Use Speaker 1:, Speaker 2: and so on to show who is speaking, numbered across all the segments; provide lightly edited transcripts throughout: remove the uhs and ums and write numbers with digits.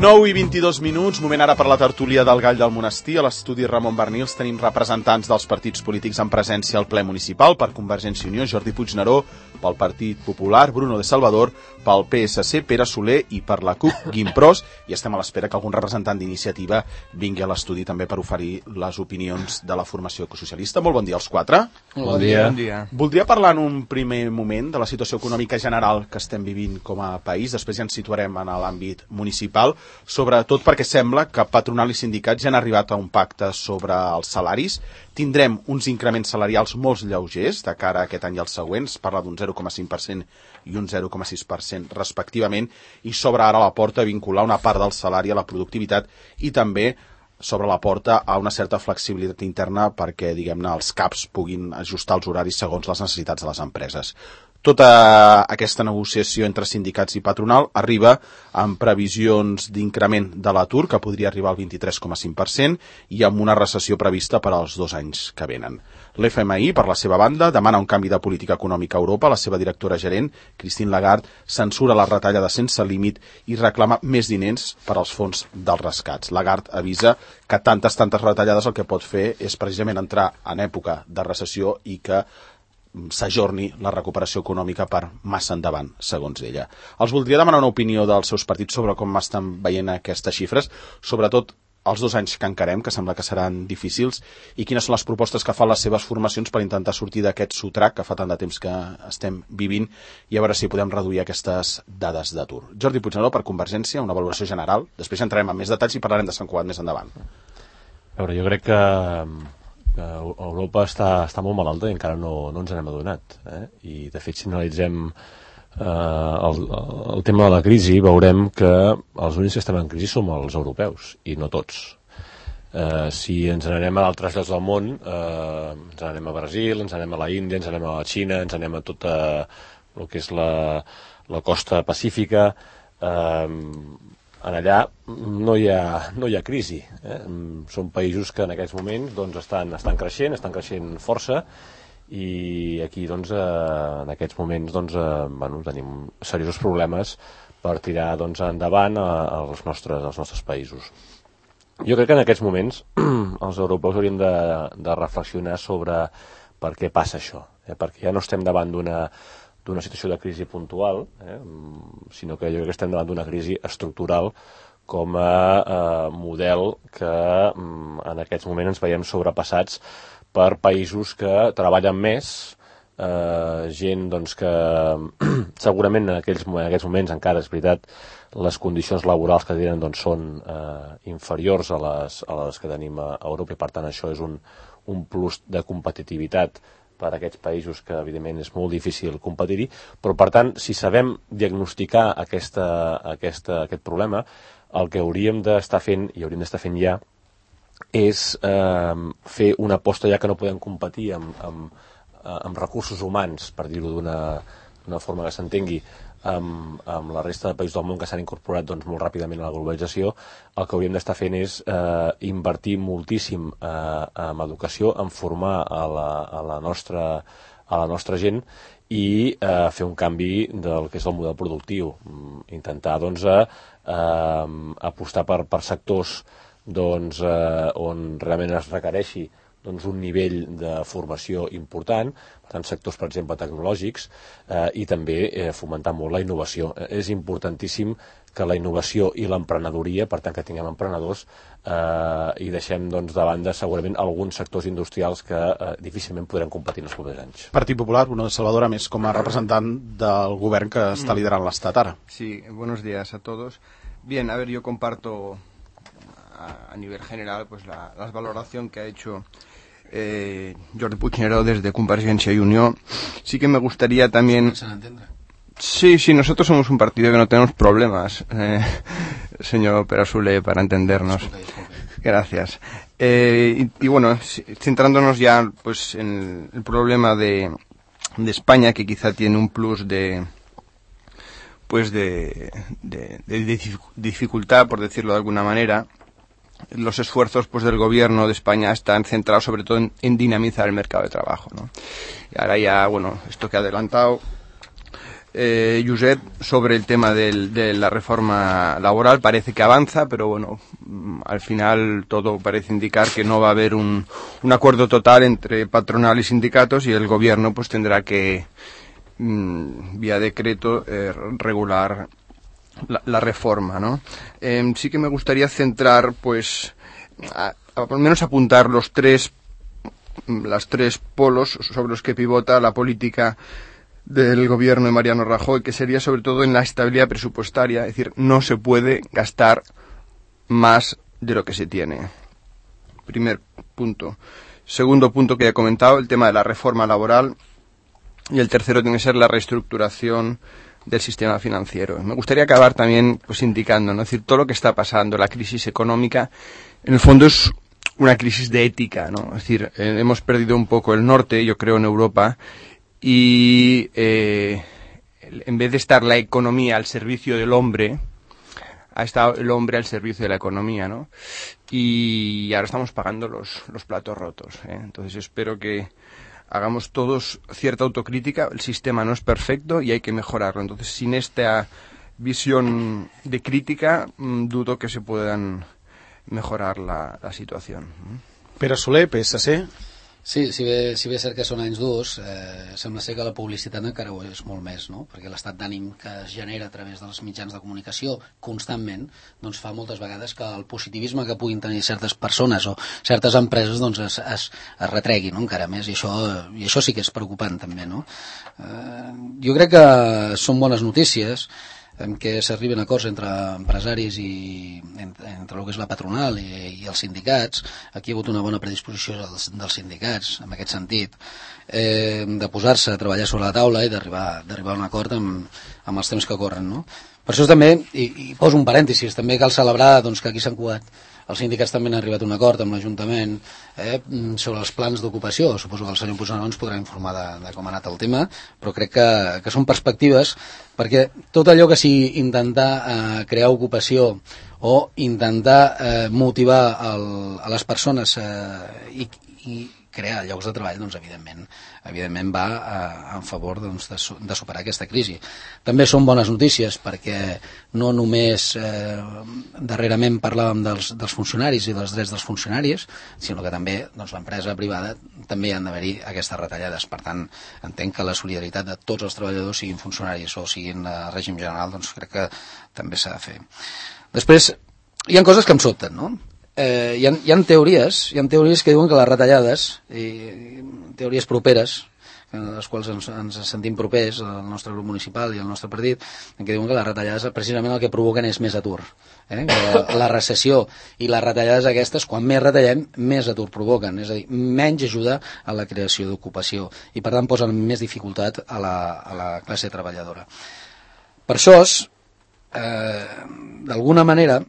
Speaker 1: 9:22, moment ara per la tertúlia del Gall del Monestir. A l'estudi Ramon Bernils tenim representants dels partits polítics en presència al ple municipal. Per Convergència i Unió, Jordi Puigneró; pel Partit Popular, Bruno de Salvador; pel PSC, Pere Soler; i per la CUP, Guim Pros. I estem a l'espera que algun representant d'Iniciativa vingui a l'estudi també per oferir les opinions de la formació ecosocialista. Molt bon dia als quatre.
Speaker 2: Bon dia.
Speaker 1: Voldria parlar en un primer moment de la situació econòmica general que estem vivint com a país. Després ja ens situarem en l'àmbit municipal, sobretot perquè sembla que patronal i sindicats ja han arribat a un pacte sobre els salaris. Tindrem uns increments salarials molt lleugers de cara a aquest any i els següents. Parla d'un 0,5% i un 0,6% respectivament, i s'obre ara la porta a vincular una part del salari a la productivitat i també s'obre la porta a una certa flexibilitat interna perquè, diguem-ne, els CAPs puguin ajustar els horaris segons les necessitats de les empreses. Tota aquesta negociació entre sindicats i patronal arriba amb previsions d'increment de l'atur que podria arribar al 23,5% i amb una recessió prevista per als 2 anys que venen. L'FMI, per la seva banda, demana un canvi de política econòmica a Europa. La seva directora gerent, Christine Lagarde, censura la retallada sense límit i reclama més diners per als fons dels rescats. Lagarde avisa que tantes retallades el que pot fer és precisament entrar en època de recessió i que s'ajorni la recuperació econòmica per massa endavant, segons ella. Els voldria demanar una opinió dels seus partits sobre com estan veient aquestes xifres, sobretot els 2 anys que encarem, que sembla que seran difícils, i quines són les propostes que fan les seves formacions per intentar sortir d'aquest sotrac que fa tant de temps que estem vivint i a veure si podem reduir aquestes dades d'atur. Jordi Puigneró, per Convergència, una valoració general. Després entrarem en més detalls i parlarem de Sant Cugat més endavant.
Speaker 2: A veure, jo crec que Europa està molt malalta i encara no ens n'hem adonat. I, de fet, si analitzem el tema de la crisi, veurem que els únics que estem en crisi som els europeus, i no tots. Si ens n'anem a d'altres llocs del món, ens n'anem a Brasil, ens n'anem a la Índia, ens n'anem a la Xina, ens n'anem a tota el que és la costa pacífica, en allà no hi ha crisi. Són països que en aquests moments estan creixent força, i aquí en aquests moments tenim seriosos problemes per tirar endavant els nostres països. Jo crec que en aquests moments els europeus hauríem de reflexionar sobre per què passa això, perquè ja no estem davant d'una situació de crisi puntual, sinó que jo crec que estem davant d'una crisi estructural com a model que en aquests moments ens veiem sobrepassats per països que treballen més, gent que segurament en aquests moments encara, és veritat, les condicions laborals que tenen són inferiors a les que tenim a Europa, i per tant això és un plus de competitivitat per a aquests països que, evidentment, és molt difícil competir-hi, però, per tant, si sabem diagnosticar aquest problema, el que hauríem d'estar fent, i hauríem d'estar fent ja, és fer una aposta, ja que no podem competir amb recursos humans, per dir-ho d'una forma que s'entengui, amb la resta de països del món que s'han incorporat molt ràpidament a la globalització. El que hauríem d'estar fent és invertir moltíssim en educació, en formar a la nostra gent i fer un canvi del que és el model productiu, intentar apostar per sectors on realment es requereixi un nivell de formació important, per tant, sectors, per exemple, tecnològics, i també fomentar molt la innovació. És importantíssim que la innovació i l'emprenedoria, per tant, que tinguem emprenedors, i deixem de banda segurament alguns sectors industrials que difícilment podrem competir en els propers anys.
Speaker 1: Partit Popular, Bruno de Salvador, a més com a representant del govern que està liderant l'Estat ara.
Speaker 3: Sí, buenos días a todos. Bien, a ver, yo comparto a nivel general pues la valoración que ha hecho Jordi Puigneró desde Convergencia y Unió. Sí que me gustaría también... Sí, nosotros somos un partido que no tenemos problemas, señor Pere Soler, para entendernos. Gracias. Y bueno, centrándonos ya pues en el problema de España, que quizá tiene un plus de dificultad, por decirlo de alguna manera. Los esfuerzos pues del gobierno de España están centrados sobre todo en dinamizar el mercado de trabajo, ¿no? Y ahora ya, bueno, esto que ha adelantado Josep, sobre el tema de la reforma laboral. Parece que avanza, pero bueno, al final todo parece indicar que no va a haber un acuerdo total entre patronal y sindicatos, y el gobierno pues tendrá que vía decreto regular la reforma, ¿no? Sí que me gustaría centrar, pues, al menos apuntar las tres polos sobre los que pivota la política del gobierno de Mariano Rajoy, que sería sobre todo en la estabilidad presupuestaria. Es decir, no se puede gastar más de lo que se tiene. Primer punto. Segundo punto que he comentado, el tema de la reforma laboral. Y el tercero tiene que ser la reestructuración del sistema financiero. Me gustaría acabar también pues indicando, ¿no? Es decir, todo lo que está pasando, la crisis económica, en el fondo es una crisis de ética, ¿no? Es decir, hemos perdido un poco el norte, yo creo, en Europa, y en vez de estar la economía al servicio del hombre, ha estado el hombre al servicio de la economía, ¿no? Y ahora estamos pagando los platos rotos, ¿eh? Entonces espero que hagamos todos cierta autocrítica. El sistema no es perfecto y hay que mejorarlo. Entonces, sin esta visión de crítica, dudo que se puedan mejorar la situación.
Speaker 1: Pere Soler, PSC.
Speaker 4: Sí, si bé és cert que són anys durs, sembla ser que la publicitat encara ho és molt més, no? Perquè l'estat d'ànim que es genera a través dels mitjans de comunicació constantment doncs fa moltes vegades que el positivisme que puguin tenir certes persones o certes empreses doncs es retregui, no? Encara més, i això sí que és preocupant també, no? Jo crec que són bones notícies en què s'arriben a acords entre empresaris i entre el que és la patronal i els sindicats. Aquí hi ha hagut una bona predisposició dels sindicats en aquest sentit, de posar-se a treballar sobre la taula i d'arribar a un acord amb els temps que corren, no? Per això també, i poso un parèntesis, també cal celebrar doncs, que aquí s'han cuat. Els sindicats també han arribat a un acord amb l'Ajuntament sobre els plans d'ocupació. Suposo que el senyor Puigneró ens podrà informar de com ha anat el tema, però crec que són perspectives, perquè tot allò que sigui intentar crear ocupació o intentar motivar a les persones i crear llocs de treball, doncs evidentment va en favor doncs, de superar aquesta crisi. També són bones notícies perquè no només darrerament parlàvem dels funcionaris i dels drets dels funcionaris, sinó que també doncs, l'empresa privada també hi han d'haver-hi aquestes retallades. Per tant, entenc que la solidaritat de tots els treballadors, siguin funcionaris o siguin règim general, doncs crec que també s'ha de fer. Després, hi ha coses que em sobten, no? Hi ha teories que diuen que les retallades, teories properes, en les quals ens sentim propers, el nostre grup municipal i el nostre partit, que diuen que les retallades precisament el que provoquen és més atur. La recessió i les retallades aquestes, quan més retallem, més atur provoquen, és a dir, menys ajuda a la creació d'ocupació i per tant posen més dificultat a la classe treballadora. Per això, d'alguna manera,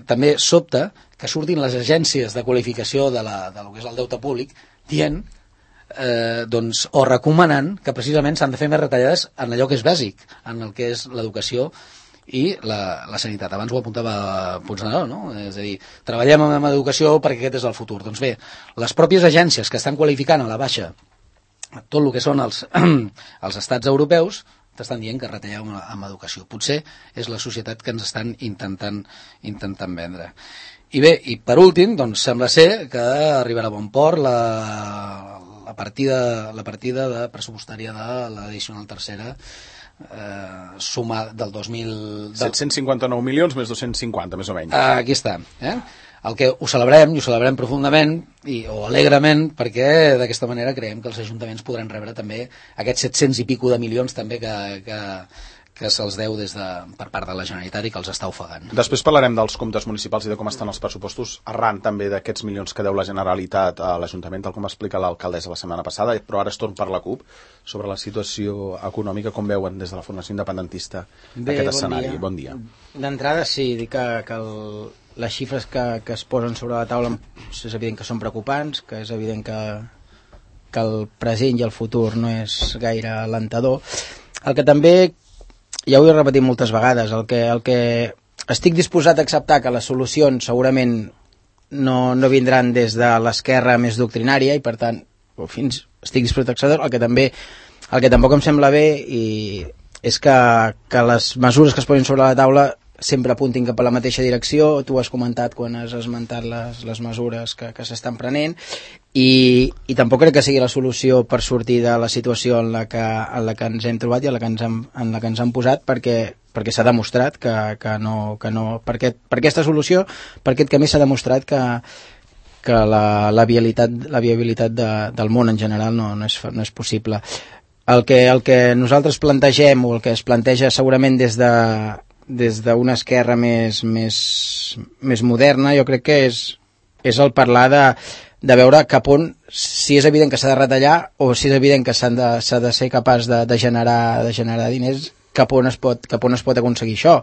Speaker 4: també sobta que surtin les agències de qualificació del que és el deute públic dient doncs, o recomanant que precisament s'han de fer més retallades en allò que és bàsic, en el que és l'educació i la sanitat. Abans ho apuntava Puigneró, no? És a dir, treballem en educació perquè aquest és el futur. Doncs bé, les pròpies agències que estan qualificant a la baixa tot el que són els estats europeus t'estan dient que retalleu amb educació. Potser és la societat que ens estan intentant vendre. I bé, i per últim, doncs sembla ser que arribarà a bon port la partida de pressupostària de l'addicional tercera suma del 2000...
Speaker 1: 759 milions més 250, més o menys.
Speaker 4: Aquí està, el que ho celebrem profundament o alegrement, perquè d'aquesta manera creiem que els ajuntaments podran rebre també aquests 700 i pico de milions també que se'ls deu per part de la Generalitat i que els està ofegant.
Speaker 1: Després parlarem dels comptes municipals i de com estan els pressupostos, arran també d'aquests milions que deu la Generalitat a l'Ajuntament, tal com explica l'alcaldessa la setmana passada, però ara es torn per la CUP sobre la situació econòmica, com veuen des de la Formació Independentista aquest escenari. Bon dia.
Speaker 5: D'entrada sí, dic que les xifres que es posen sobre la taula és evident que són preocupants, que és evident que el present i el futur no és gaire alentador. El que també, ja ho he repetit moltes vegades, el que estic disposat a acceptar que les solucions segurament no vindran des de l'esquerra més doctrinària i per tant estic disposat a acceptar el que tampoc em sembla bé i és que les mesures que es posen sobre la taula sempre apuntin cap a la mateixa direcció. Tu has comentat quan has esmentat les mesures que s'estan prenent i tampoc crec que sigui la solució per sortir de la situació en la que ens hem trobat i en la que ens han posat, perquè s'ha demostrat que no per aquesta solució, per aquest camí s'ha demostrat que la viabilitat del món en general no és possible. El que nosaltres plantegem, o el que es planteja segurament des d'una esquerra més moderna, jo crec que és el parlar de veure cap on, si és evident que s'ha de retallar o si és evident que s'ha de ser capaç de generar diners, cap on es pot aconseguir això.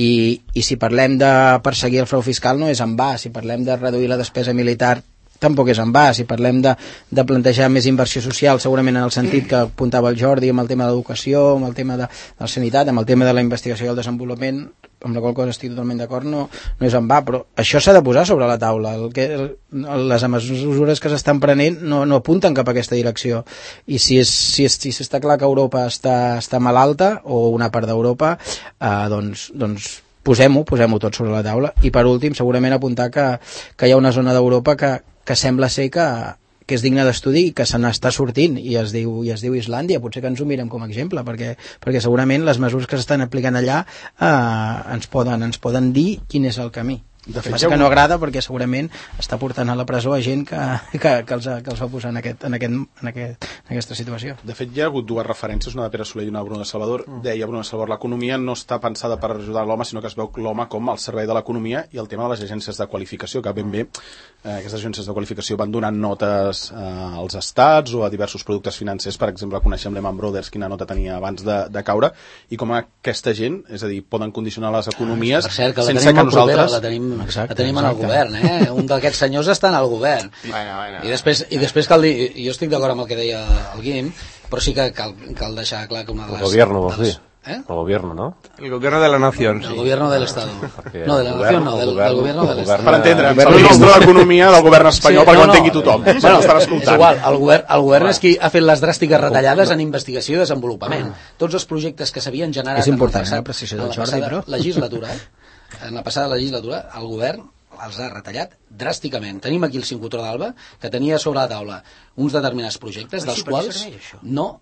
Speaker 5: I si parlem de perseguir el frau fiscal no és en va, si parlem de reduir la despesa militar tampoc és en va, si parlem de plantejar més inversió social, segurament en el sentit que apuntava el Jordi, amb el tema d'educació, amb el tema de la sanitat, amb el tema de la investigació i el desenvolupament, amb la qual cosa estic totalment d'acord, no és en va, però això s'ha de posar sobre la taula. Les mesures que s'estan prenent no apunten cap a aquesta direcció, i si està clar que Europa està malalta, o una part d'Europa, doncs posem-ho tot sobre la taula. I per últim, segurament apuntar que hi ha una zona d'Europa que sembla ser que és digne d'estudi i que se n'està sortint, i es diu Islàndia. Potser que ens ho mirem com a exemple, perquè segurament les mesures que s'estan aplicant allà ens poden dir quin és el camí. De fet, que no agrada, perquè segurament està portant a la presó a gent que els va posar en aquesta situació.
Speaker 1: De fet, hi ha hagut dues referències, una de Pere Soler i una de Bruno de Salvador. Deia Bruno de Salvador, l'economia no està pensada per ajudar l'home, sinó que es veu l'home com al servei de l'economia, i el tema de les agències de qualificació, que ben bé aquestes agències de qualificació van donant notes als estats o a diversos productes financers. Per exemple, coneixem Lehman Brothers, quina nota tenia abans de caure, i com aquesta gent, és a dir, poden condicionar les economies sense que nosaltres...
Speaker 4: La tenim en el govern, un d'aquests senyors està en el govern. I després cal dir, jo estic d'acord amb el que deia el Guim, però sí que cal deixar clar que una de les...
Speaker 2: El gobierno, vols dir? El gobierno, ¿no?
Speaker 3: El gobierno de la nación.
Speaker 4: El gobierno del Estado. No, de la nación no, del gobierno del Estado.
Speaker 1: Per entendre, el ministre d'Economia del govern espanyol, perquè ho entengui tothom. Bueno, és
Speaker 4: igual, el govern és qui ha fet les dràstiques retallades en investigació i desenvolupament. Tots els projectes que s'havien generat en la passada legislatura, el govern els ha retallat dràsticament. Tenim aquí el Sincrotró d'Alba, que tenia sobre la taula uns determinats projectes, dels quals no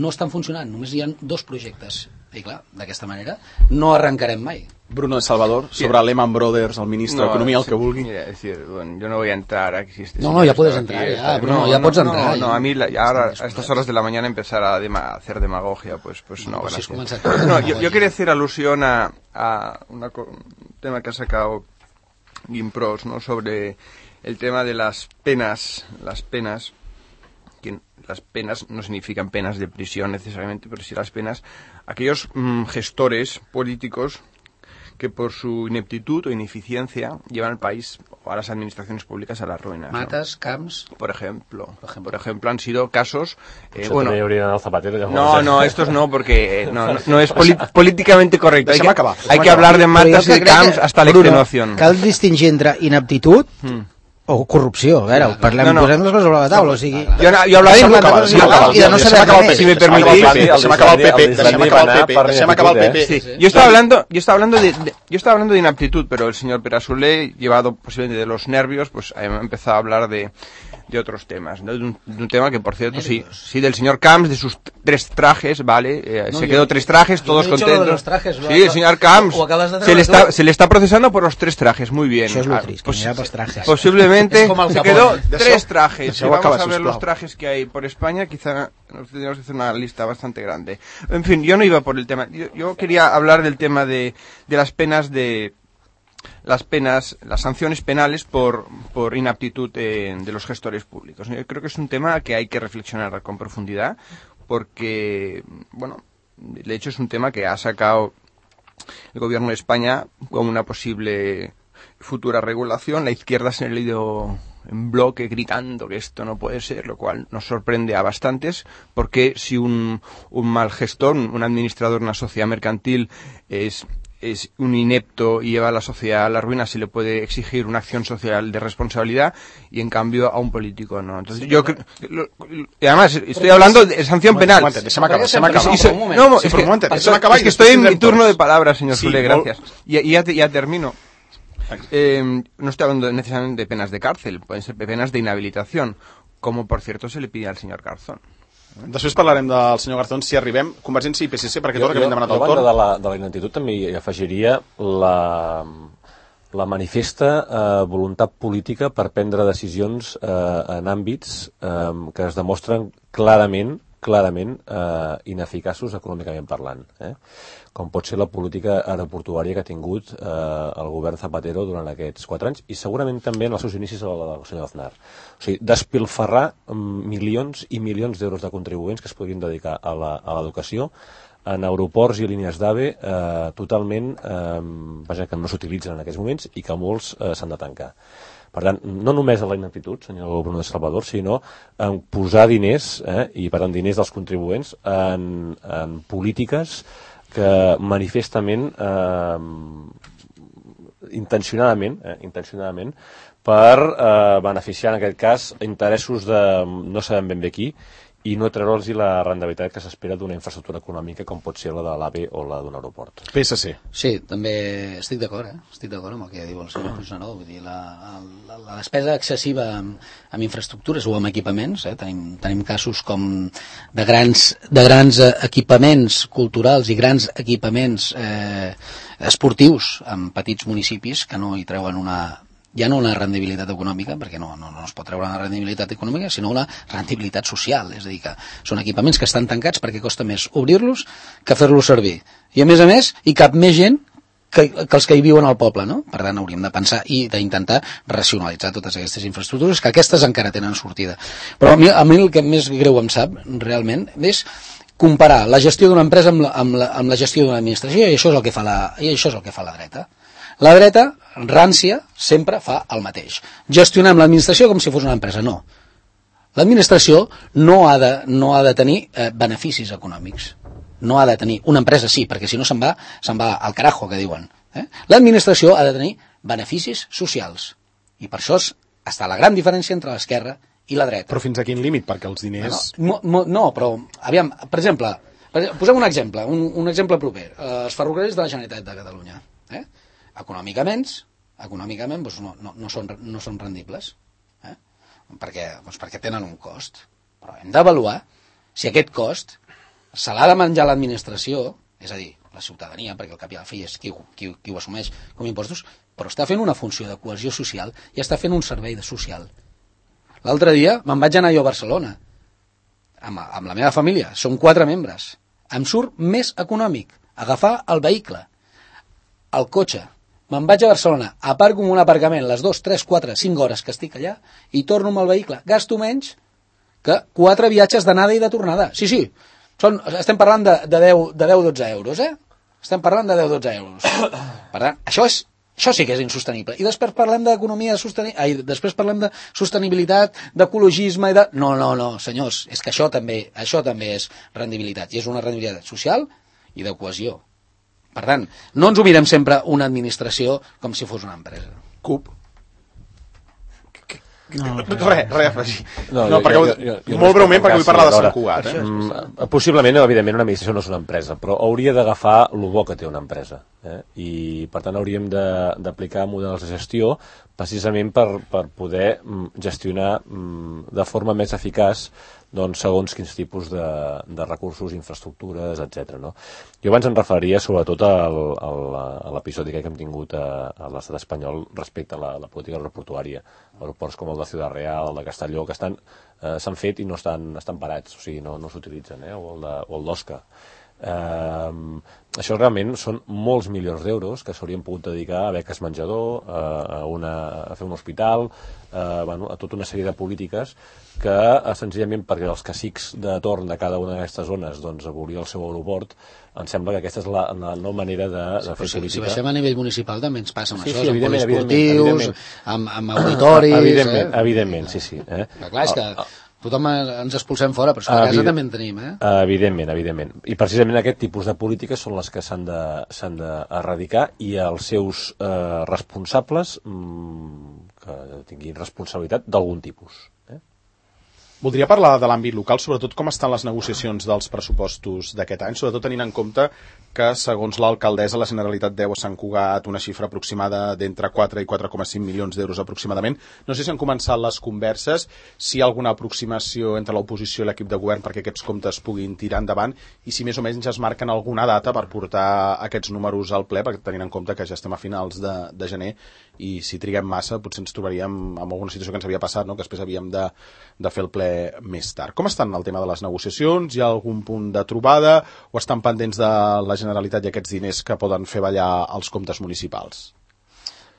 Speaker 4: estan funcionant. Només hi ha 2 projectes. I clar, d'aquesta manera no arrencarem mai.
Speaker 1: Bruno de Salvador, sobre Lehman Brothers, el ministre d'Economia, el que vulgui.
Speaker 3: Mira, es decir, bueno, yo no voy a entrar aquí.
Speaker 4: No, ya puedes entrar, ya, Bruno, ya puedes entrar.
Speaker 3: No, a mí ahora a estas horas de la mañana empezar a hacer demagogia, pues no, gracias. No, yo quería hacer alusión a un tema que ha sacado Gimpros, ¿no? Sobre el tema de las penas, que las penas no significan penas de prisión necesariamente, pero sí las penas, aquellos gestores políticos que por su ineptitud o ineficiencia llevan al país o a las administraciones públicas a la ruina.
Speaker 4: Matas, ¿no? Camps.
Speaker 3: Por ejemplo, han sido casos...
Speaker 2: bueno,
Speaker 3: no, estos no, porque no es políticamente correcto. Hay que hablar de Matas y de Camps hasta la extenuación.
Speaker 5: Cal distingir entre ineptitud o corrupció. A veure, posem les coses sobre la taula, o sigui...
Speaker 3: Jo hablava de no saber res. Si me permitís...
Speaker 1: Se m'acaba el PP.
Speaker 3: Yo estaba hablando de inaptitud, pero el señor Perasolé, llevado posiblemente de los nervios, pues ha empezado a hablar de otros temas, ¿no? De un tema que, por cierto, sí, del señor Camps, de sus 3 trajes, ¿vale? Se quedó 3 trajes, todos contentos. Sí, el señor Camps se le está procesando por los 3 trajes, muy bien.
Speaker 5: Eso es lo triste,
Speaker 3: posiblemente se quedó 3 trajes. Si vamos a ver los trajes que hay por España, quizá nos tendríamos que hacer una lista bastante grande. En fin, yo no iba por el tema. Yo quería hablar del tema de las penas las sanciones penales por inaptitud de los gestores públicos. Yo creo que es un tema que hay que reflexionar con profundidad, porque, bueno, de hecho es un tema que ha sacado el gobierno de España como una posible futura regulación. La izquierda se ha leído en bloque gritando que esto no puede ser, lo cual nos sorprende a bastantes, porque si un mal gestor, un administrador, una sociedad mercantil es es un inepto y lleva a la sociedad a la ruina, se le puede exigir una acción social de responsabilidad, y en cambio a un político no. Entonces yo creo, y además estoy hablando de sanción penal.
Speaker 1: Deixa'm acabar.
Speaker 3: No, es que estoy en mi turno de palabra, señor Soler, gracias. Y ya termino. No estoy hablando necesariamente de penas de cárcel, pueden ser penas de inhabilitación, como por cierto se le pide al señor Garzón.
Speaker 1: Després parlarem del senyor Garzón si arribem. Convergència i PSC, perquè tot el que hem demanat el torn.
Speaker 2: De la ineptitud també hi afegiria la manifesta voluntat política per prendre decisions en àmbits que es demostren clarament ineficaços econòmicament parlant, com pot ser la política aeroportuària que ha tingut el govern Zapatero durant aquests 4 anys, i segurament també en els seus inicis del senyor Aznar. O sigui, despilfarrar milions i milions d'euros de contribuents que es podrien dedicar a l'educació en aeroports i línies d'AVE totalment, que no s'utilitzen en aquests moments i que molts s'han de tancar. Per tant, no només a la ineptitud, senyor Bruno de Salvador, sinó en posar diners, i per tant diners dels contribuents, en polítiques que manifestament, intencionadament, per beneficiar, en aquest cas, interessos de no sabem ben bé qui, i no treure'ls la rendibilitat que s'espera d'una infraestructura econòmica com pot ser la de l'AVE o la d'un aeroport.
Speaker 1: PSC.
Speaker 4: Sí, també estic d'acord, estic d'acord amb el que diu el senyor Puigneró. Vull dir, la despesa excessiva en infraestructures o en equipaments, tenim casos com de grans equipaments culturals i grans equipaments esportius en petits municipis que no hi treuen ja no una rendibilitat econòmica, perquè no es pot treure una rendibilitat econòmica, sinó una rendibilitat social, és a dir, que són equipaments que estan tancats perquè costa més obrir-los que fer-los servir. I a més, hi cap més gent que els que hi viuen al poble, no? Per tant, hauríem de pensar i d'intentar racionalitzar totes aquestes infraestructures, que aquestes encara tenen sortida. Però a mi el que més greu em sap, realment, és comparar la gestió d'una empresa amb la gestió d'una administració, i això és el que fa la dreta. La dreta, rància, sempre fa el mateix. Gestionem l'administració com si fos una empresa. No. L'administració no ha de tenir beneficis econòmics. No ha de tenir. Una empresa sí, perquè si no se'n va al carajo, que diuen. L'administració ha de tenir beneficis socials. I per això està la gran diferència entre l'esquerra i la dreta.
Speaker 1: Però fins a quin límit? Perquè els diners...
Speaker 4: No, però, aviam, per exemple, posem un exemple, un exemple proper. Els ferrocarrils de la Generalitat de Catalunya. Econòmicament doncs no són rendibles, perquè tenen un cost, però hem d'avaluar si aquest cost se l'ha de menjar l'administració, és a dir, la ciutadania, perquè al cap i a la fi és qui ho assumeix com a impostos, però està fent una funció de cohesió social i està fent un servei social. L'altre dia me'n vaig anar jo a Barcelona amb la meva família, som 4 membres, em surt més econòmic agafar el vehicle, el cotxe. Me'n vaig a Barcelona, aparco en un aparcament les 2, 3, 4, 5 hores que estic allà i torno amb el vehicle. Gasto menys que 4 viatges d'anada i de tornada. Sí, estem parlant de 10-12 euros, Estem parlant de 10-12 euros. Per tant, això sí que és insostenible. I després parlem d'economia després parlem de sostenibilitat, d'ecologisme i de... No, senyors, és que això també és rendibilitat. I és una rendibilitat social i de cohesió. Per tant, no ens ho mirem sempre una administració com si fos una empresa.
Speaker 1: CUP. Res a afegir. Molt breument, perquè vull parlar de Sant Cugat.
Speaker 2: Possiblement, evidentment, una administració no és una empresa, però hauria d'agafar el bo que té una empresa. I, per tant, hauríem d'aplicar models de gestió precisament per poder gestionar de forma més eficaç segons quins tipus de recursos, infraestructures, etc. Jo abans em referia sobretot a l'episodi que hem tingut a l'estat espanyol respecte a la política aeroportuària. Aeroports com el de Ciudad Real, el de Castelló, que s'han fet i no estan parats, o sigui, no s'utilitzen, o el d'Osca. Això realment són molts milions d'euros que s'haurien pogut dedicar a beques menjador, a fer un hospital, a tota una sèrie de polítiques que senzillament perquè els cacics de torn de cada una d'aquestes zones abolir el seu aeroport, em sembla que aquesta és la no manera de fer política. Si
Speaker 4: baixem a nivell municipal també ens passa amb això, amb poliesportius, amb auditoris...
Speaker 2: Evidentment, sí.
Speaker 4: Clar, és que tothom ens expulsem fora, però és que a casa també en tenim,
Speaker 2: Evidentment. I precisament aquest tipus de polítiques són les que s'han d'erradicar i els seus responsables que tinguin responsabilitat d'algun tipus.
Speaker 1: Voldria parlar de l'àmbit local, sobretot com estan les negociacions dels pressupostos d'aquest any, sobretot tenint en compte que, segons l'alcaldessa, la Generalitat deu a Sant Cugat una xifra aproximada d'entre 4 i 4,5 milions d'euros aproximadament. No sé si han començat les converses, si hi ha alguna aproximació entre l'oposició i l'equip de govern perquè aquests comptes puguin tirar endavant i si més o menys ja es marquen alguna data per portar aquests números al ple, perquè tenint en compte que ja estem a finals de gener i si triguem massa potser ens trobaríem amb alguna situació que ens havia passat, no? Que després havíem de fer el ple més tard. Com estan el tema de les negociacions? Hi ha algun punt de trobada o estan pendents de la Generalitat i aquests diners que poden fer ballar els comptes municipals?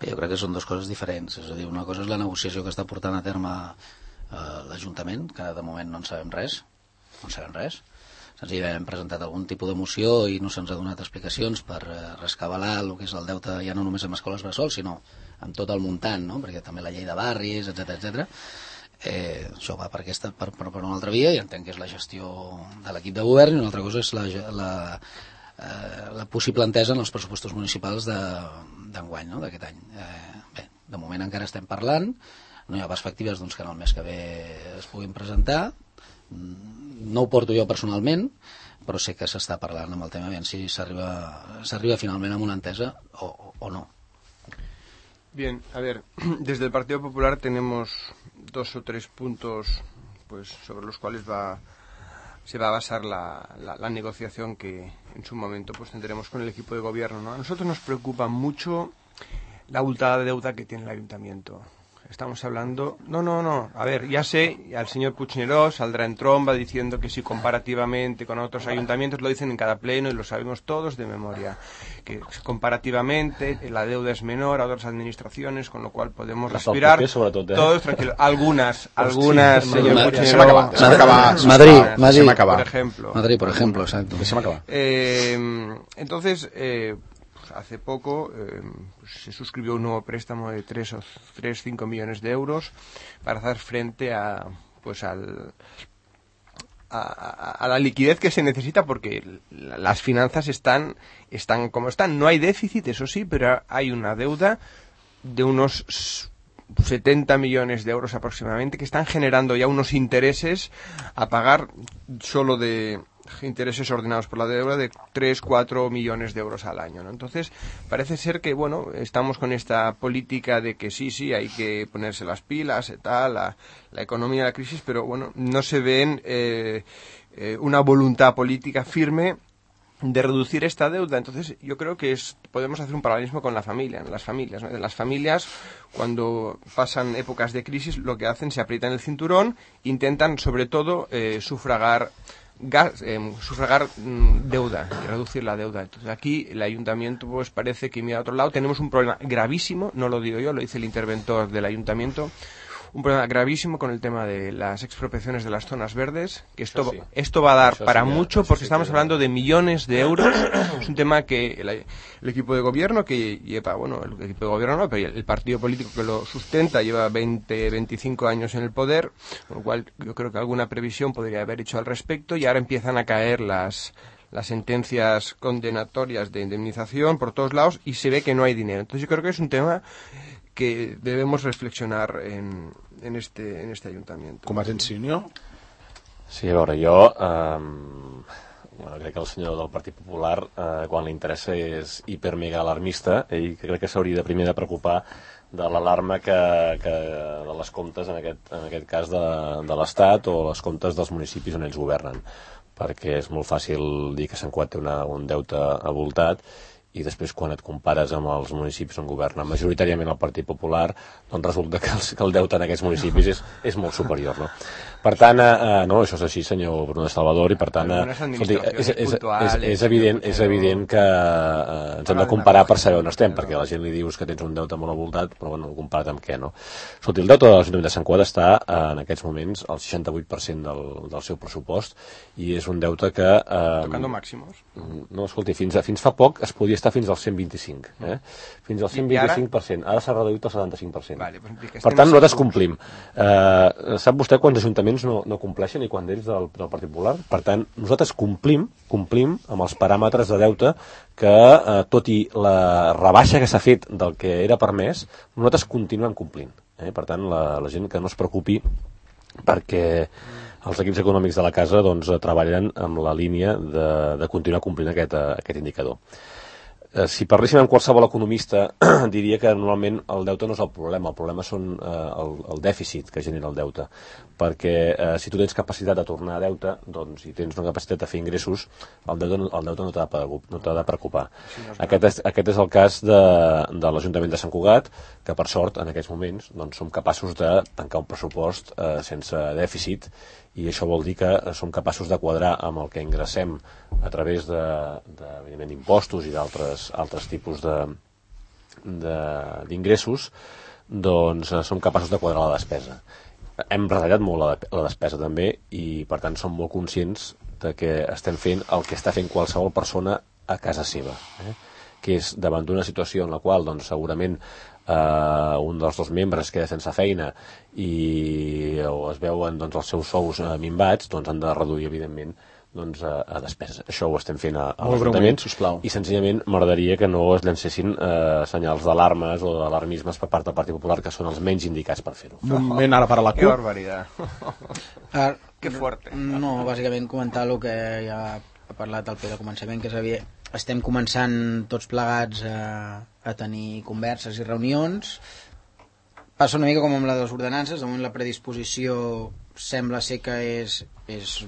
Speaker 4: Bé, jo crec que són dues coses diferents. És a dir, una cosa és la negociació que està portant a terme l'Ajuntament, que de moment no en sabem res. Senzillament hem presentat algun tipus de moció i no se'ns ha donat explicacions per rescabalar el que és el deute ja no només amb escoles bressol, sinó amb tot el muntant, no? Perquè també la llei de barris, etc. Això va per una altra via i entenc que és la gestió de l'equip de govern i una altra cosa és la possible entesa en els pressupostos municipals d'enguany, no? D'aquest any. Bé, de moment encara estem parlant, no hi ha perspectives doncs, que en el mes que ve es puguin presentar. No ho porto jo personalment, però sé que s'està parlant amb el tema, aviam si s'arriba finalment a una entesa o no.
Speaker 3: Bien, a ver, desde el Partido Popular tenemos 2 o 3 puntos pues sobre los cuales se va a basar la negociación que en su momento pues tendremos con el equipo de gobierno, ¿no? A nosotros nos preocupa mucho la abultada deuda que tiene el ayuntamiento. Estamos hablando... No. A ver, ya sé, al señor Puigneró saldrá en tromba diciendo que si comparativamente con otros ayuntamientos, lo dicen en cada pleno y lo sabemos todos de memoria, que comparativamente la deuda es menor a otras administraciones, con lo cual podemos respirar todos tranquilos. Algunas, señor Puigneró...
Speaker 4: Madrid, por ejemplo, exacto.
Speaker 3: Entonces... hace poco se suscribió un nuevo préstamo de 3,5 millones de euros para hacer frente a la liquidez que se necesita porque las finanzas están como están. No hay déficit, eso sí, pero hay una deuda de unos 70 millones de euros aproximadamente que están generando ya unos intereses a pagar solo de intereses ordenados por la deuda de 3-4 millones de euros al año, ¿no? Entonces parece ser que bueno, estamos con esta política de que sí hay que ponerse las pilas y tal, la economía, la crisis, pero bueno, no se ven una voluntad política firme de reducir esta deuda. Entonces yo creo que podemos hacer un paralelismo con las familias, ¿no? Las familias cuando pasan épocas de crisis lo que hacen, se aprietan el cinturón, intentan sobre todo sufragar deuda y reducir la deuda. Entonces aquí el ayuntamiento pues parece que mira a otro lado. Tenemos un problema gravísimo, no lo digo yo, lo dice el interventor del ayuntamiento, un problema gravísimo con el tema de las expropiaciones de las zonas verdes, que esto va a dar para mucho porque estamos hablando de millones de euros. Es un tema que el equipo de gobierno que lleva, bueno, el equipo de gobierno no, pero el partido político que lo sustenta lleva 20-25 años en el poder, con lo cual yo creo que alguna previsión podría haber hecho al respecto y ahora empiezan a caer las sentencias condenatorias de indemnización por todos lados y se ve que no hay dinero. Entonces yo creo que es un tema que debemos reflexionar en este ayuntamiento.
Speaker 1: Convergència i Unió?
Speaker 2: Sí, a veure, jo crec que el senyor del Partit Popular quan li interessa és hipermega alarmista i crec que s'hauria de primer de preocupar de l'alarma de les comptes en aquest cas de l'Estat o les comptes dels municipis on ells governen, perquè és molt fàcil dir que Sant Cugat té un deute abultat i després quan et compares amb els municipis on governa majoritàriament el Partit Popular, doncs resulta que el deute en aquests municipis és molt superior, no? Per tant, no, això és així, senyor Bruno de Salvador, i per tant, és evident que ens hem de comparar per saber on estem, perquè a la gent li dius que tens un deute molt abultat, però bueno, comparat amb què, no? Escolti, el deute de l'Ajuntament de Sant Cugat està en aquests moments al 68% del seu pressupost i és un deute que...
Speaker 3: Tocando màximos.
Speaker 2: No, escolti, fins fa poc es podia estar està fins al 125, fins al 125%. Ara s'ha reduït al 75%.
Speaker 3: Vale,
Speaker 2: per tant, nosaltres complim. Sap vostè quants ajuntaments no compleixen i quants d'ells del Partit Popular? Per tant, nosaltres complim amb els paràmetres de deute que, tot i la rebaixa que s'ha fet del que era permès, nosaltres continuem complint. Per tant, la gent que no es preocupi perquè els equips econòmics de la casa doncs, treballen amb la línia de continuar complint aquest indicador. Si parléssim amb qualsevol economista, diria que normalment el deute no és el problema són el dèficit que genera el deute, perquè si tu tens capacitat de tornar a deute, doncs, si tens una capacitat de fer ingressos, el deute no t'ha de preocupar. Aquest és el cas de l'Ajuntament de Sant Cugat, que per sort en aquests moments doncs, som capaços de tancar un pressupost sense dèficit, i això vol dir que som capaços de quadrar amb el que ingressem a través evidentment, impostos i d'altres tipus d'ingressos, doncs som capaços de quadrar la despesa. Hem retallat molt la despesa també i per tant som molt conscients de que estem fent el que està fent qualsevol persona a casa seva, que és davant d'una situació en la qual doncs, segurament un dels dos membres queda sense feina o es veuen doncs, els seus sous minvats, doncs han de reduir evidentment doncs, a despeses. Això ho estem fent a l'Ajuntament i senzillament m'agradaria que no es llancessin senyals d'alarmes o d'alarmismes per part del Partit Popular, que són els menys indicats per fer-ho.
Speaker 1: Un moment ara per a la
Speaker 3: Que
Speaker 1: CUP.
Speaker 3: barbaridad. Que fuerte.
Speaker 5: No, bàsicament comentar el que ja ha parlat el Pere al començament, que és estem començant tots plegats a tenir converses i reunions. Passa una mica com amb les ordenances, de moment la predisposició sembla ser que és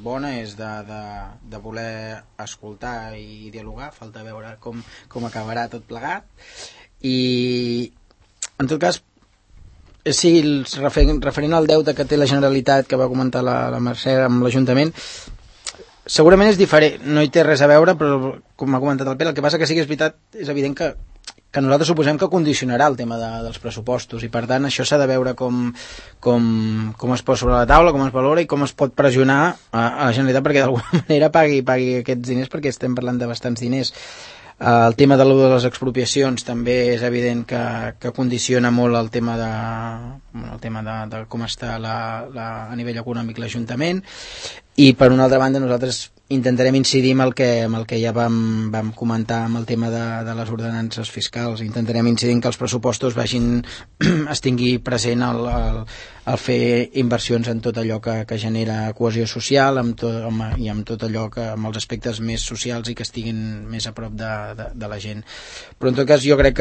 Speaker 5: bona, és de voler escoltar i dialogar, falta veure com acabarà tot plegat. I en tot cas, sí, referent al deute que té la Generalitat, que va comentar la Mercè amb l'Ajuntament, segurament és diferent, no hi té res a veure, però com m'ha comentat el Pere, el que passa que sí que és veritat, és evident que nosaltres suposem que condicionarà el tema dels pressupostos i per tant això s'ha de veure com es posa sobre la taula, com es valora i com es pot pressionar a la Generalitat perquè d'alguna manera pagui aquests diners, perquè estem parlant de bastants diners. El tema de les expropiacions també és evident que condiciona molt el tema de com està a nivell econòmic l'Ajuntament, i per una altra banda nosaltres intentarem incidir amb el que ja vam comentar amb el tema de les ordenances fiscals. Intentarem incidir en que els pressupostos es tingui present el fer inversions en tot allò que genera cohesió social i amb tot allò amb els aspectes més socials i que estiguin més a prop de la gent. Però en tot cas jo crec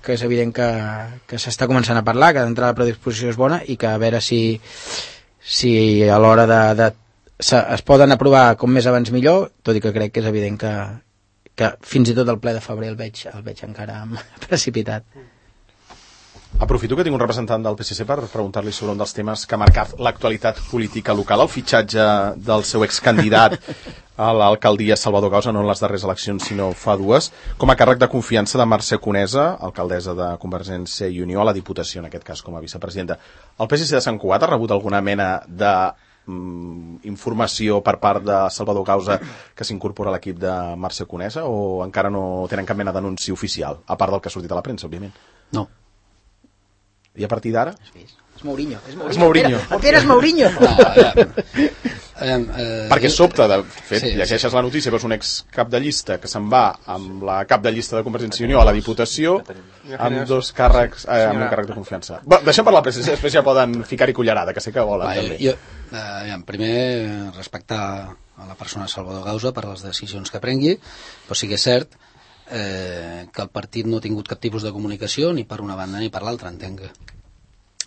Speaker 5: que és evident que s'està començant a parlar, que d'entrada la predisposició és bona i que a veure si a l'hora es poden aprovar com més abans millor, tot i que crec que és evident que fins i tot el ple de febrer el veig encara precipitat.
Speaker 1: Aprofito que tinc un representant del PSC per preguntar-li sobre un dels temes que ha marcat l'actualitat política local, el fitxatge del seu excandidat a l'alcaldia Salvador Gausa, no en les darreres eleccions sinó fa dues, com a càrrec de confiança de Mercè Conesa, alcaldessa de Convergència i Unió, a la Diputació, en aquest cas com a vicepresidenta. El PSC de Sant Cugat ha rebut alguna mena de informació per part de Salvador Gausa que s'incorpora a l'equip de Mercè Conesa, o encara no tenen cap mena d'anunci oficial, a part del que ha sortit a la premsa, òbviament?
Speaker 4: No.
Speaker 1: I a partir d'ara?
Speaker 5: És Mourinho.
Speaker 1: És Mourinho.
Speaker 5: El Pere és Mourinho.
Speaker 1: Perquè sobta, de fet,
Speaker 4: Sí,
Speaker 1: llegeixes la notícia, veus un ex-cap de llista que se'n va amb la cap de llista de Convergència i Unió a la Diputació amb dos càrrecs, amb un càrrec de confiança. Deixem parlar la pressa, després ja poden ficar-hi cullerada, que sé que volen també.
Speaker 4: Primer, respectar a la persona Salvador Gausa per les decisions que prengui, però sí que és cert que el partit no ha tingut cap tipus de comunicació ni per una banda ni per l'altra. Entenc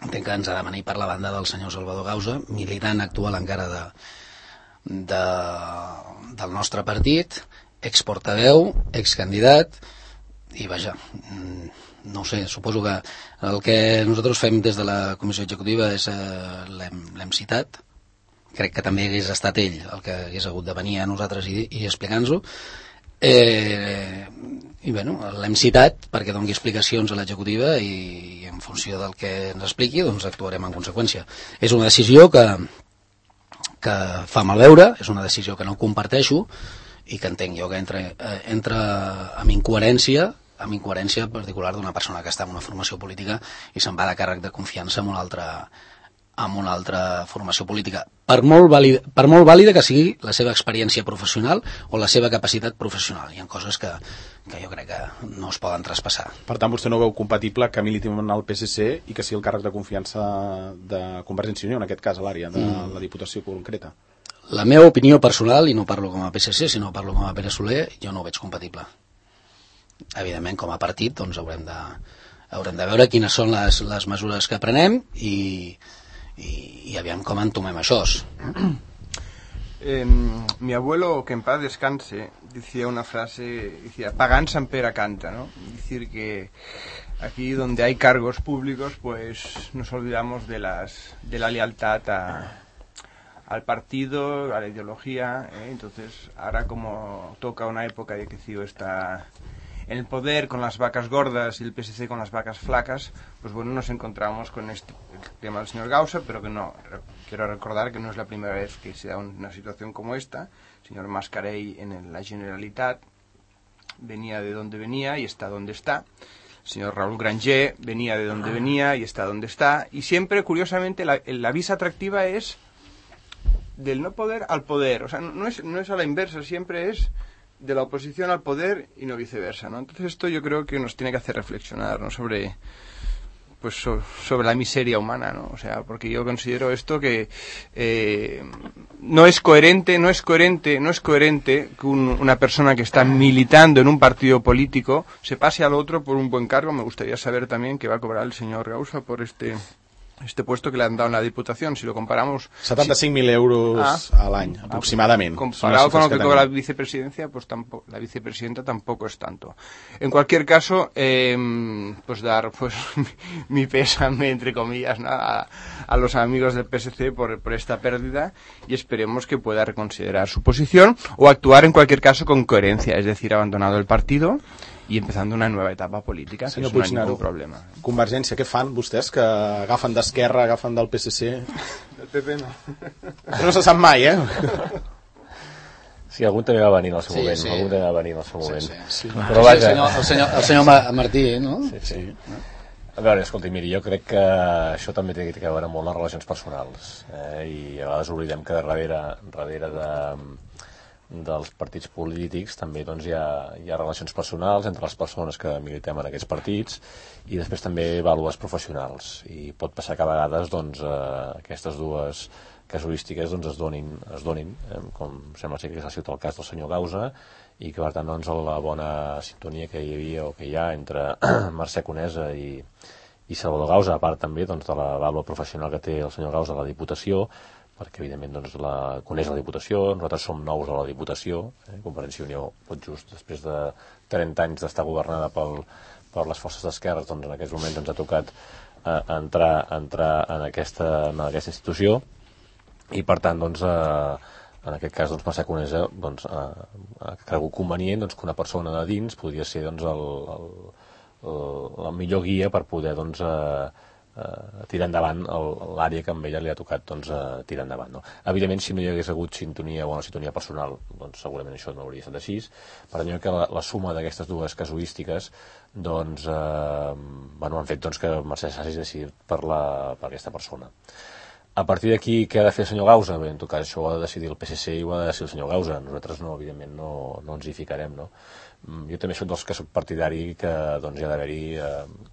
Speaker 4: que ens ha de venir per la banda del senyor Salvador Gausa, militant actual encara del nostre partit, exportaveu, excandidat, i vaja, no ho sé, suposo que el que nosaltres fem des de la comissió executiva és l'hem citat, crec que també hagués estat ell el que hagués hagut de venir a nosaltres i explicar-nos-ho, i bueno, l'hem citat perquè doni explicacions a l'executiva i en funció del que ens expliqui doncs actuarem en conseqüència. És una decisió que fa mal veure, és una decisió que no comparteixo i que entenc jo que entra amb incoherència particular d'una persona que està en una formació política i se'n va de càrrec de confiança amb una altra formació política, per molt vàlida que sigui la seva experiència professional o la seva capacitat professional. Hi ha coses que jo crec que no es poden traspassar.
Speaker 1: Per tant, vostè no veu compatible que militi en el PSC i que sigui el càrrec de confiança de Convergència i Unió, en aquest cas a l'àrea de la Diputació concreta?
Speaker 4: La meva opinió personal, i no parlo com a PSC, sinó parlo com a Pere Soler, jo no ho veig compatible. Evidentment, com a partit, doncs haurem de veure quines són les mesures que prenem i aviam com entomem això.
Speaker 3: Mi abuelo, que en paz descanse, decía una frase, decía, pagán San Pera canta, ¿no? Es decir, que aquí donde hay cargos públicos, pues nos olvidamos de la lealtad al partido, a la ideología, Entonces, ahora como toca una época de que CiU está en el poder con las vacas gordas y el PSC con las vacas flacas, pues bueno, nos encontramos con el tema del señor Gausa, pero que no, quiero recordar que no es la primera vez que se da una situación como esta. El señor Mascarell en la Generalitat venía de donde venía y está donde está. El señor Raúl Granger venía de donde venía y está donde está. Y siempre, curiosamente, la visa atractiva es del no poder al poder. O sea, no es a la inversa, siempre es de la oposición al poder y no viceversa, ¿no? Entonces esto yo creo que nos tiene que hacer reflexionar, ¿no? sobre la miseria humana, ¿no? O sea, porque yo considero esto que no es coherente que una persona que está militando en un partido político se pase al otro por un buen cargo. Me gustaría saber también qué va a cobrar el señor Gausa por este puesto que le han dado en la Diputación, si lo comparamos...
Speaker 1: 75.000 euros a l'any, aproximadamente.
Speaker 3: Comparado con lo que cobra la vicepresidencia, pues tampoco, la vicepresidenta tampoco es tanto. En cualquier caso, pues dar pues mi pésame, entre comillas, ¿no? a los amigos del PSC por esta pérdida, y esperemos que pueda reconsiderar su posición o actuar en cualquier caso con coherencia, es decir, abandonado el partido i empezando una nueva etapa política, que no hay ningún problema.
Speaker 1: Convergència, què fan vostès, que agafen d'Esquerra, agafen del PSC?
Speaker 3: Del PP no.
Speaker 1: No se sap mai,
Speaker 2: Sí, algun també va venir en el seu moment. Sí. Algun també va venir en el seu moment.
Speaker 4: Sí. Però vaja... El senyor Martí, no?
Speaker 2: Sí. A veure, escolti, miri, jo crec que això també té que veure molt les relacions personals. I a vegades oblidem que darrere dels partits polítics també doncs, hi ha relacions personals entre les persones que militem en aquests partits i després també vàlues professionals, i pot passar que a vegades doncs, aquestes dues casuístiques doncs, es donin com sembla ser que ha sigut el cas del senyor Gausa, i que per tant doncs, la bona sintonia que hi havia o que hi ha entre Mercè Conesa i Salvador Gausa, a part també doncs, de la vàlua professional que té el senyor Gausa a la Diputació, perquè evidentment doncs, coneix la Diputació, nosaltres som nous a la Diputació, Convergència i Unió tot just després de 30 anys d'estar governada per les forces d'esquerres, doncs en aquests moments ens ha tocat entrar en aquesta institució, i per tant doncs, en aquest cas doncs, Mercè Conesa doncs, ha cregut convenient doncs, que una persona de dins podria ser doncs, la millor guia per poder doncs, tirar endavant l'àrea que amb ella li ha tocat doncs, tirar endavant, no? Evidentment, si no hi hagués hagut bona sintonia personal, doncs segurament això no hauria estat així. Per tant, que la suma d'aquestes dues casuístiques doncs, han fet doncs, que Mercè s'hagi decidit per aquesta persona. A partir d'aquí, què ha de fer el senyor Gausa? Bé, en tot cas, això ho ha de decidir el PSC i ho ha de decidir el senyor Gausa. Nosaltres, evidentment, no ens hi ficarem, no? Jo també soc dels que soc partidari que doncs, hi ha d'haver-hi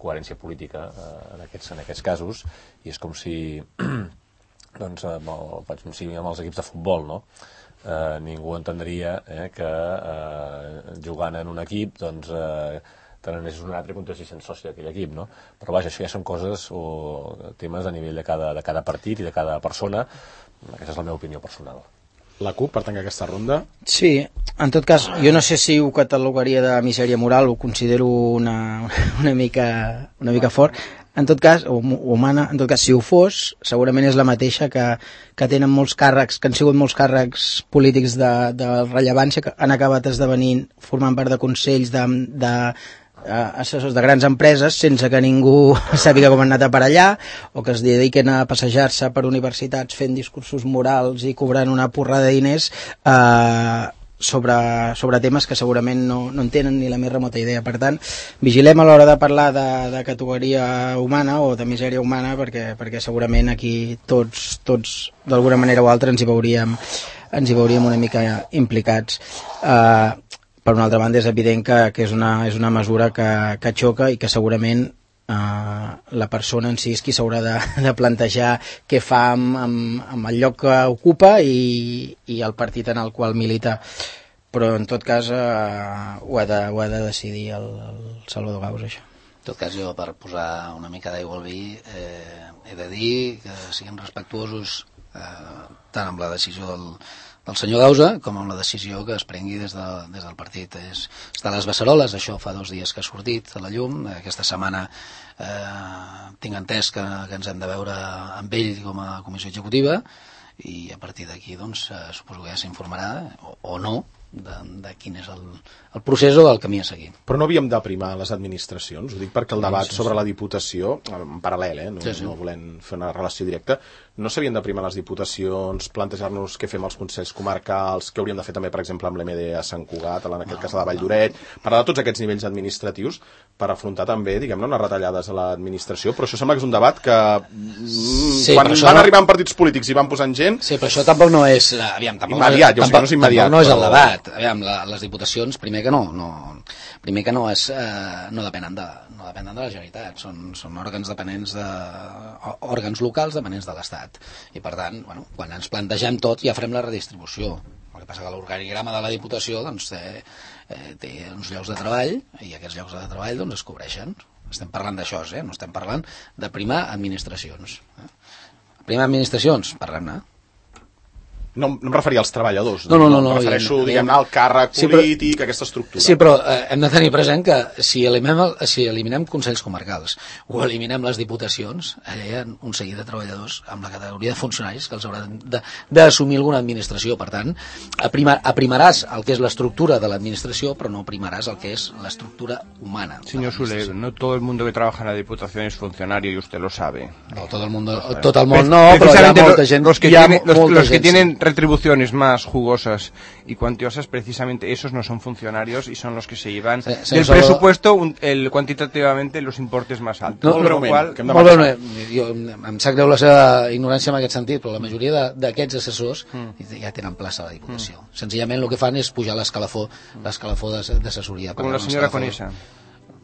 Speaker 2: coherència política en aquests casos, i és com si doncs, amb els equips de futbol, no? Ningú entendria que jugant en un equip doncs, te n'anessis un altre i contestis soci d'aquell equip, no? Però vaja, això ja són coses o temes a nivell de cada partit i de cada persona. Aquesta és la meva opinió personal.
Speaker 1: La CUP, per tancar aquesta ronda?
Speaker 5: Sí, en tot cas, jo no sé si ho catalogaria de misèria moral, ho considero una mica fort. En tot cas, o humana, en tot cas, si ho fos, segurament és la mateixa que tenen molts càrrecs, que han sigut molts càrrecs polítics de rellevància, que han acabat esdevenint, formant part de consells assessors de grans empreses sense que ningú sàpiga com han anat a per allà, o que es dediquen a passejar-se per universitats fent discursos morals i cobrant una porrada de diners sobre temes que segurament no en tenen ni la més remota idea. Per tant, vigilem a l'hora de parlar de categoria humana o de misèria humana, perquè segurament aquí tots d'alguna manera o altra ens hi veuríem una mica implicats. Per una altra banda, és evident que és una mesura que xoca i que segurament la persona en si és qui s'haurà de plantejar què fa amb el lloc que ocupa i el partit en el qual milita, però en tot cas ho ha de decidir el Salvador Gausa, això.
Speaker 4: En tot cas, jo per posar una mica d'aigua al vi he de dir que siguem respectuosos tant amb la decisió del senyor Gausa com amb la decisió que es prengui des del partit. Està a les beceroles, això fa 2 dies que ha sortit a la llum. Aquesta setmana tinc entès que ens hem de veure amb ell com a comissió executiva i a partir d'aquí doncs, suposo que ja s'informarà o no de quin és el procés o el camí a seguir.
Speaker 1: Però no havíem d'aprimar les administracions, ho dic perquè el debat sobre la Diputació, en paral·lel, no volem fer una relació directa, no s'havien d'aprimar les diputacions, plantejar-nos què fem als consells comarcals, què hauríem de fer també, per exemple, amb l'MD a Sant Cugat, en aquest cas a la Vall d'Oret, parlar de tots aquests nivells administratius per afrontar també, diguem-ne, unes retallades a l'administració, però això sembla que és un debat que quan van arribar partits polítics i van posant gent...
Speaker 4: Sí, però això tampoc no és...
Speaker 1: immediat, jo sé que no és immediat.
Speaker 4: No és el debat. Aviam, les diputacions, primer que no depenen de la Generalitat, són òrgans dependents òrgans locals dependents de l'Estat, i per tant, quan ens plantegem tot ja farem la redistribució. El que passa que l'organigrama de la Diputació doncs, té uns llocs de treball i aquests llocs de treball doncs, es cobreixen. Estem parlant d'això, no estem parlant de primar administracions. Primar administracions, parlem-ne.
Speaker 1: No em referia als treballadors,
Speaker 4: no,
Speaker 1: em refereixo, diguem-ne, al càrrec polític, aquesta estructura.
Speaker 4: Sí, però hem de tenir present que si eliminem consells comarcals o eliminem les diputacions, allà hi ha un seguit de treballadors amb la categoria de funcionaris que els hauran d'assumir alguna administració. Per tant, aprimaràs el que és l'estructura de l'administració, però no aprimaràs el que és l'estructura humana.
Speaker 3: Señor Soler, no todo el mundo que trabaja en la Diputación es funcionario y usted lo sabe.
Speaker 4: No, todo el mundo no, pero hi ha molta gent...
Speaker 3: Los que tienen retribuciones más jugosas y cuantiosas, precisamente esos no son funcionarios y son los que se llevan del presupuesto cuantitativamente los importes más altos.
Speaker 4: Em sap greu la seva ignorància en aquest sentit, però la majoria d'aquests assessors ja tenen plaça a la Diputació. Senzillament el que fan és pujar l'escalafó d'assessoria.
Speaker 3: Com la senyora Conesa.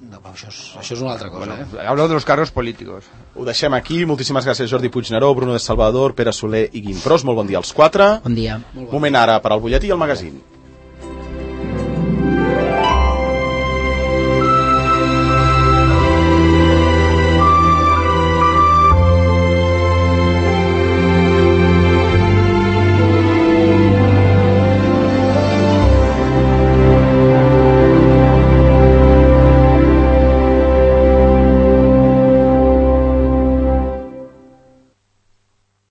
Speaker 4: No, això és una altra cosa.
Speaker 3: Hablo de los cargos políticos.
Speaker 1: Ho deixem aquí. Moltíssimes gràcies, Jordi Puigneró, Bruno de Salvador, Pere Soler i Guim Pros. Molt bon dia als 4.
Speaker 5: Bon dia.
Speaker 1: Moment ara per al butlletí i el magazín.